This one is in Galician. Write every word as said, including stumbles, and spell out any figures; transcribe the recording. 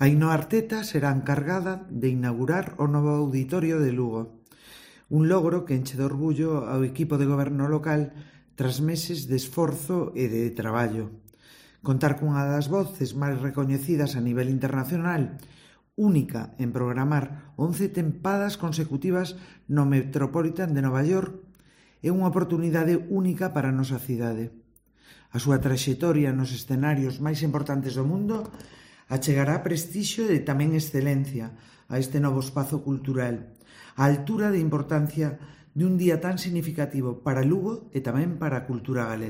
Ainhoa Arteta será encargada de inaugurar o novo auditorio de Lugo, un logro que enche de orgullo ao equipo de goberno local tras meses de esforzo e de traballo. Contar cunha das voces máis recoñecidas a nivel internacional, única en programar once tempadas consecutivas no Metropolitan de Nova York, é unha oportunidade única para a nosa cidade. A súa traxectoria nos escenarios máis importantes do mundo achegará prestixio e tamén excelencia a este novo espazo cultural, á altura de importancia de un día tan significativo para Lugo e tamén para a cultura galega.